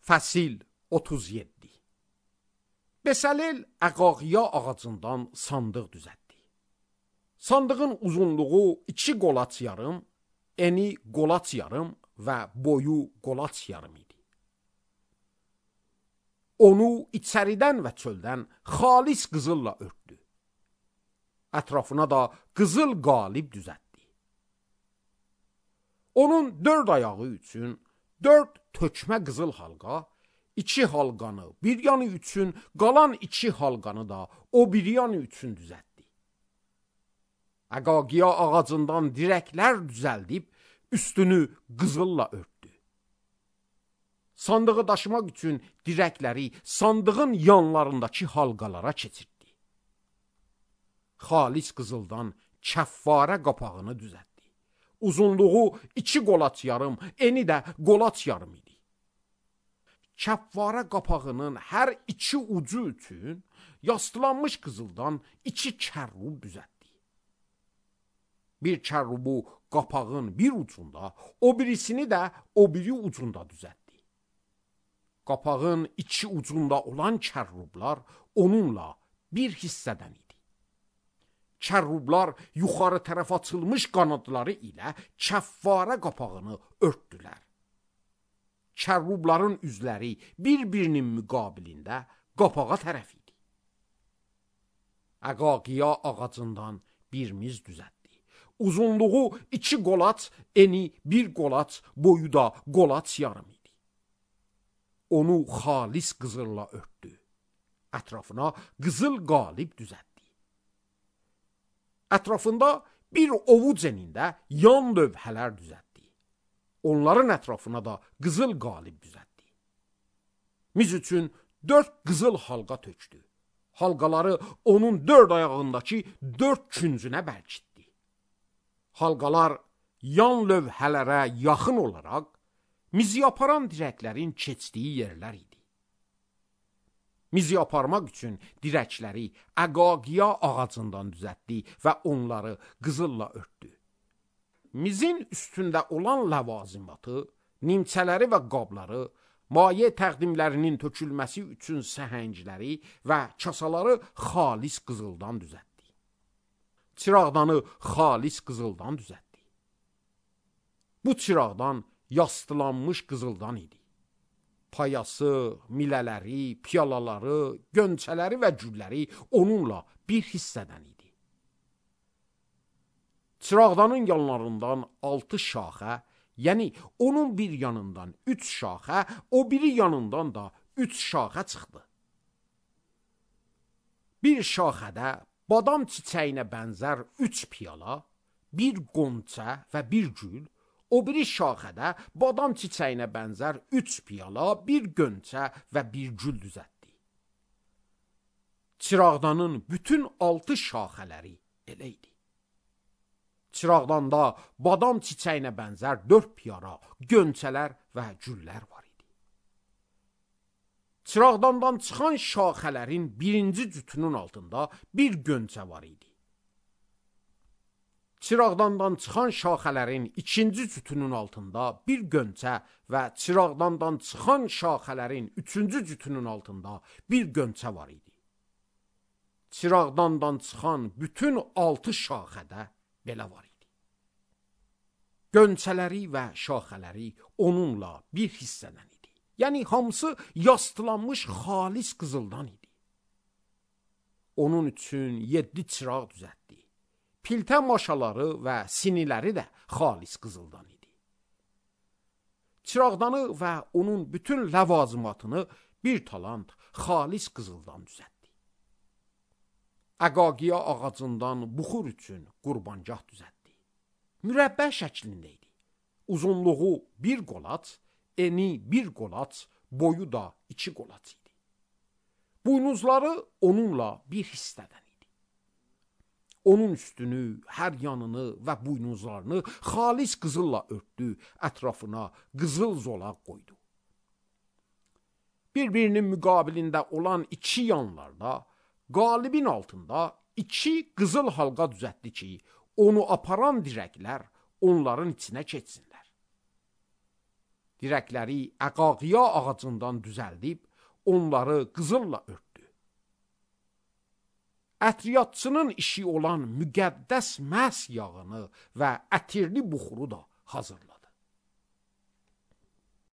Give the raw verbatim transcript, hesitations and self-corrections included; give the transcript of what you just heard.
Fəsil otuz yeddi. Bəsəlel əqaqiya ağacından sandıq düzəltdi. Sandığın uzunluğu iki qolaç yarım, eni qolaç yarım və boyu qolaç yarım idi. Onu içəridən və çöldən xalis qızılla örtdü. Ətrafına da qızıl qalib düzəltdi. Onun dörd ayağı üçün dörd tökmə qızıl halqa, iki halqanı bir yanı üçün, qalan iki halqanı da o bir yanı üçün düzəltdi. Əqaqiya ağacından dirəklər düzəldib, üstünü qızılla örtdü. Sandığı daşımaq üçün dirəkləri sandığın yanlarındakı halqalara keçirtdi. Xalis qızıldan kəffarə qapağını düzəltdi. Uzunluğu iki qolaç yarım, eni də qolaç yarım idi. Kəffarə qapağının hər iki ucu üçün yastılanmış qızıldan iki kərrub düzəltdi. Bir kərrubu qapağın bir ucunda, o birisini də o biri ucunda düzəltdi. Qapağın iki ucunda olan kərrublar onunla bir hissədən idi. Kərrublar yuxarı tərəf açılmış qanadları ilə kəffarə qapağını örtdülər. Kərrubların üzləri bir-birinin müqabilində qapağa tərəf idi. Əqaqiya ağacından bir miz düzəltdi. Uzunluğu iki qolaç, eni bir qolaç, boyu da qolaç yarım idi. Onu xalis qızılla örtdü. Ətrafına qızıl qalib düzəltdi. Ətrafında bir ovuc enində yan lövhələr düzəltdi. Onların ətrafına da qızıl qalib düzəltdi. Miz üçün dörd qızıl halqa tökdü. Halqaları onun dörd ayağındakı dörd küncünə bərkitdi. Halqalar yan lövhələrə yaxın olaraq mizi aparan dirəklərin keçdiyi yerlər idi. Mizi aparmaq üçün dirəkləri əqaqiya ağacından düzəltdi və onları qızılla örtdü. Mizin üstündə olan ləvazimatı, nimçələri və qabları, maye təqdimlərinin tökülməsi üçün səhəngləri və kasaları xalis qızıldan düzəltdi. Çıraqdanı xalis qızıldan düzəltdi. Bu çıraqdan yastılanmış qızıldan idi. Payası, milələri, piyalaları, gönçələri və gülləri onunla bir hissədən idi. Çıraqdanın yanlarından altı şaxə, yəni onun bir yanından üç şaxə, o biri yanından da üç şaxə çıxdı. Bir şaxədə badam çiçəyinə bənzər üç piyala, bir qonça və bir gül, o biri şaxədə badam çiçəyinə bənzər üç piyala, bir gönçə və bir gül düzəltdi. Çıraqdanın bütün altı şaxələri elə idi. Çıraqdanda badam çiçəyinə bənzər dörd piyala, gönçələr və güllər var idi. Çıraqdandan çıxan şaxələrin birinci cütünün altında bir gönçə var idi. Çıraqdandan çıxan şaxələrin ikinci cütünün altında bir gönçə və çıraqdandan çıxan şaxələrin üçüncü cütünün altında bir gönçə var idi. Çıraqdandan çıxan bütün altı şaxədə belə var idi. Gönçələri və şaxələri onunla bir hissədən idi. Yəni hamısı yastılanmış xalis qızıldan idi. Onun üçün yeddi çıraq düzəltdi. Piltə maşaları və siniləri də xalis qızıldan idi. Çıraqdanı və onun bütün ləvazimatını bir talant xalis qızıldan düzəltdi. Əqaqiya ağacından buxur üçün qurbangah düzəltdi. Mürəbbə şəklində idi. Uzunluğu bir qolaç, eni bir qolaç, boyu da iki qolaç idi. Buynuzları onunla bir hissədən. Onun üstünü, hər yanını və buynuzlarını xalis qızılla örtdü, ətrafına qızıl zolaq qoydu. Bir-birinin müqabilində olan iki yanlarda, qalibin altında iki qızıl halqa düzəltdi ki, onu aparan dirəklər onların içinə keçsinlər. dirəkləri əqaqiya ağacından düzəldib, onları qızılla örtdü. Ətriyyatçının işi olan müqəddəs məhs yağını və ətirli buxuru da hazırladı.